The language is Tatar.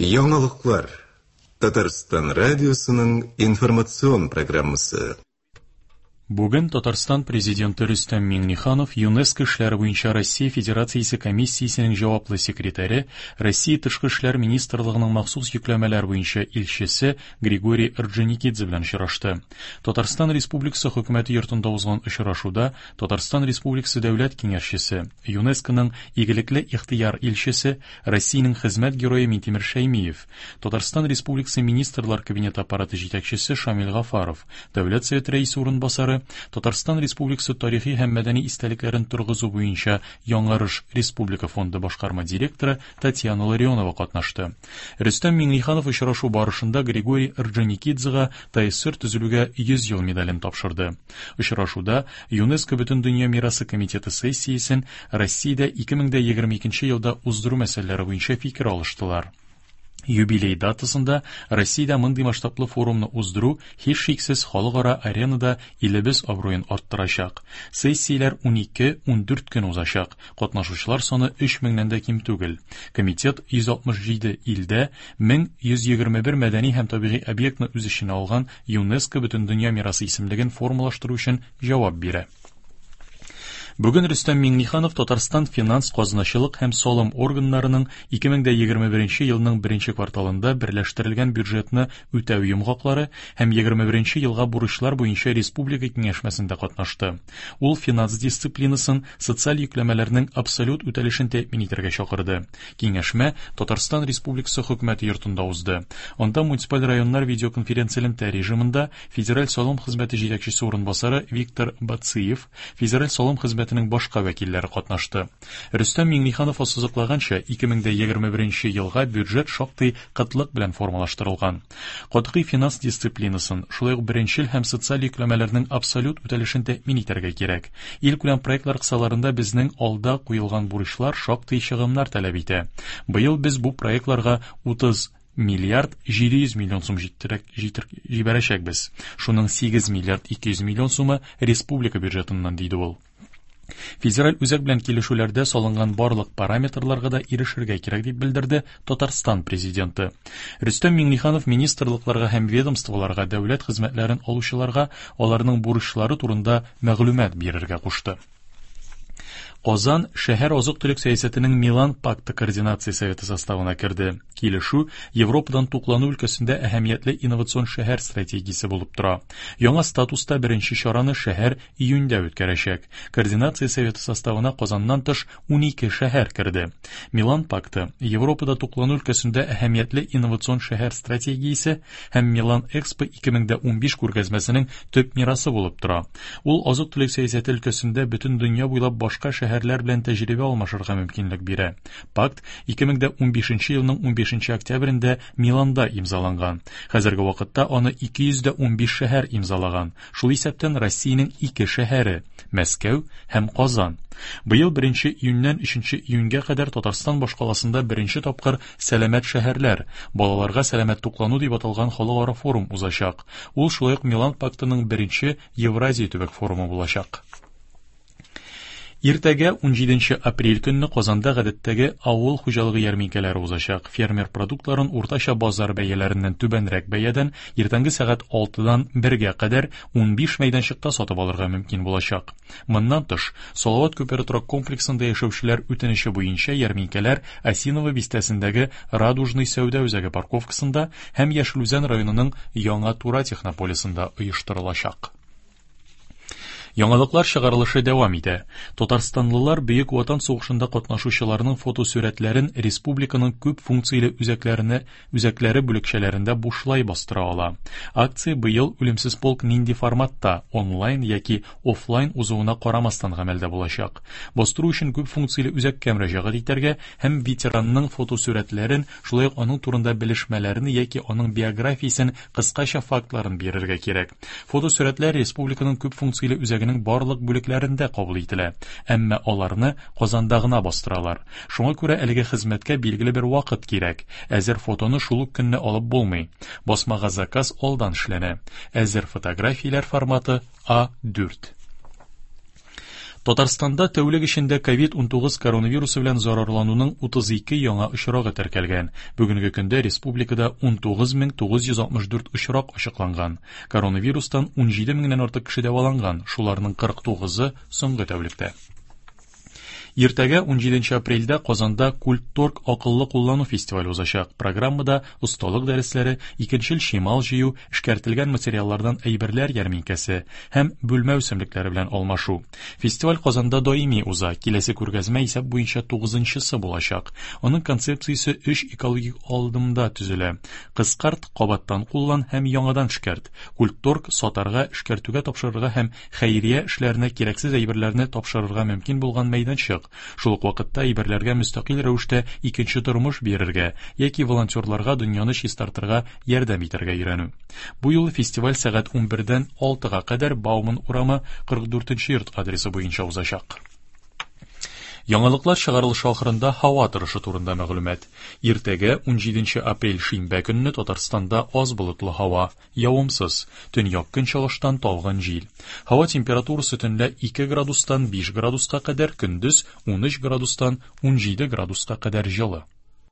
Яңалыклар. Татарстан радиосының информацион программасы. Бүген Татарстан Президенты Рөстәм Миңнеханов ЮНЕСКО эшләре буенча Россия Федерациясе комиссиясенең җаваплы секретаре, Россия Тышкы эшләр министрлыгының махсус йөкләмәләр буенча илчесе Григорий Орджоникидзе белән очрашты. Татарстан Республикасы Хөкүмәте йортында узган очрашуда Татарстан Республикасы Дәүләт Киңәшчесе, ЮНЕСКОның Игелекле ихтыяр илчесе, Россиянең хезмәт герое Минтимер Шәймиев, Татарстан Республикасы Министрлар Кабинеты аппараты җитәкчесе Шамил Гафаров, Дәүләт Советы Рәисе урынбасары, Татарстан Республикасы тарихи һәм мәдәни истәлекләрен торгызу буенча Яңарыш республика фонды башкарма директоры Татьяна Ларионова катнашты. Рөстәм Миңнеханов очрашу барышында Григорий Орджоникидзега ТАССР төзелүгә 100 ел медален тапшырды. Очрашуда ЮНЕСКО Бөтендөнья мирасы комитеты сессиясен Россиядә 2022 елда уздыру мәсьәләләре буенча фикер алыштылар. Юбилей датасында Россиядә мондый масштаблы форумны уздыру һичшиксез халыкара аренада илебез абруен арттырачак. Сессияләр 12-14 көн узачак, катнашучылар саны 3 меңнән дә ким түгел. Комитет 167 илдә 1121 мәдәни һәм табигый объектны үз эченә алган ЮНЕСКО Бөтендөнья мирасы исемлеген формалаштыру өчен җавап бирә. Бүген Рөстәм Миңнеханов Татарстан финанс, казначылык һәм салым органнарының 2021 елның беренче кварталында берләштерелгән бюджетны үтәү йомгаклары һәм 21 елга бурычлар буенча республика киңәшмәсендә катнашты. Ул финанс дисциплинасын, социаль йөкләмәләрнең абсолют үтәлешен тәэмин итәргә чакырды. Киңәшмә Татарстан Республикасы Хөкүмәте йортында узды. Анда муниципаль районнар видеоконференцэлемтә режимында Федераль салым хезмәте җитәкчесе урынбасары Виктор Бациев, Федераль салым хезмәтенең башка вәкилләре катнашты. Рөстәм Миңнеханов ассызыклаганча, 2021 елга бюджет шактый кытлык белән формалаштырылган. Катгый финанс дисциплинасын, шулай ук беренчел һәм социаль йөкләмәләрнең абсолют үтәлешен тәэмин итәргә кирәк. Илкүләм проектлар кысаларында безнең алда куелган бурычлар шактый чыгымнар таләп итә. Быел без бу проектларга 30 миллиард 700 миллион сум җиттерәк җитер җибәрәчәкбез. Шуның 8 миллиард 200 миллион сумы республика бюджетыннан, диде ул. Федераль үзәк белән килешүләрдә салынган барлык параметрларга да ирешергә кирәк, дип белдерде Татарстан Президенты. Рөстәм Миңнеханов министрлыкларга һәм ведомстволарга дәүләт хезмәтләрен алучыларга аларның бурычлары турында мәгълүмат бирергә кушты. Казан шәһәр азык-төлек сәясәтенең Милан пакты координация советы составына керде. Килешү Европадан туклану өлкәсендә әһәмиятле инновацион шәһәр стратегиясе булып тора. Яңа статуста беренче чараны шәһәр июньдә үткәрәчәк. Координация советы составына Казаннан тыш 12 шәһәр керде. Милан пакты Европада туклану өлкәсендә әһәмиятле инновацион шәһәр стратегиясе һәм Милан Экспо 2015 күргәзмәсенең төп мирасы булып тора. Ул азык-төлек сәясәте өлкәсендә бөтен дөнья буйлап башка шәһәрләр белән тәҗрибә алмашырга мөмкинлек бирә. Пакт 2015 елның 15 октябрендә Миланда имзаланган. Хәзерге вакытта аны 215 шәһәр имзалаган, шул исәптән Россиянең ике шәһәре, Мәскәү һәм Казан. Быел 1 июньнән 3 июньгә кадәр Татарстан башкаласында беренче тапкыр Сәламәт шәһәрләр, балаларга сәламәт туклану дип аталган халыкара форум узачак. Ул шулай ук Милан пактының беренче Евразия төбәк форумы булачак. Иртәгә 17 апрель көнне Казанда гадәттәге авыл хуҗалыгы ярминкәләре узачак. Фермер продуктларын уртача базар бәяләреннән түбәнрәк бәядән иртәнге сәгать 6-дан 1-гә кадәр 15 мәйданчыкта сатып алырга мөмкин булачак. Моннан тыш, Салават күпере торак комплексында яшәүчеләр үтенече буенча ярминкәләр Осиново бистәсендәге Радужный сәүдә үзәге парковкасында һәм Яшел Үзән районының Яңа Тура технополисында оештырылачак. Яңалыклар чыгарылышы дәвам итә. Татарстанлылар Бөек Ватан сугышында катнашучыларның фотосурәтләрен республиканың күп функцияле үзәкләренә үзәкләре бүлекчәләрендә бушлай бастыра ала. Акция быел Үлемсез полк нинди форматта, онлайн яки офлайн узуына карамастан гамәлдә булачак. Бастыру өчен күп функцияле үзәккә мөрәҗәгать итәргә һәм ветеранның фотосурәтләрен, шулай ук аның турында белешмәләрне яки аның биографиясен кыскача фактларын бирергә кирәк. Фотосурәтләр республиканың күп функцияле үзәгенең барлык бүлекләрендә кабул ителә, әмма аларны Казанда гына бастыралар. Шуңа күрә әлеге хезмәткә билгеле бер вакыт кирәк. Әзер фотоны шул ук көнне алып булмый. Басмага заказ алдан эшләнә. Әзер фотографияләр форматы А4. Татарстанда тәүлек эчендә COVID-19 коронавирусы белән зарарлануның 32 яңа очрагы теркәлгән. Бүгенге көндә республикада 19964 очрак ачыкланган. Коронавирустан 17 меңнән артык кеше дәваланган, шуларның 49-ы соңгы тәүлектә. Иртәгә 17 апрельдә Казанда Культторг акыллы куллану фестивале узачак. Программада осталык дәресләре, икенчел чимал җыю, эшкәртелгән материаллардан әйберләр ярминкәсе һәм бүлмә үсемлекләре белән алмашу. Фестиваль Казанда даими уза. Киләсе күргәзмә исәп буенча 9-нчысы булачак. Аның концепциясе өч экологик алдымда төзелә. Кыскарт, кабаттан куллан һәм яңадан эшкәрт. Культторг сатарга, эшкәртүгә тапшырырга һәм хәйрия эшләренә кирәксез әйберләрне тапшырырга мөмкин булган мәйданчык. Шул ук вакытта әйберләргә мөстәкыйль рәвештә икенче тормыш бирергә яки волонтерларга дөньяны чистартырга ярдәм итәргә өйрәнү. Бу юлы фестиваль сәгать 11-дән 6-га кадәр Бауман урамы 44 йорт адресы буенча узачак. Яңалыклар чыгарылышы ахырында һава торышы турында мәгълүмат. Иртәгә 17 апрель шимбә көнне Татарстанда аз болытлы һава, явымсыз, төньяк көнчыгыштан талгын җил. Һава температурасы төнлә 2 градустан 5 градуска кадәр, көндез 13 градустан 17 градуска кадәр җылы.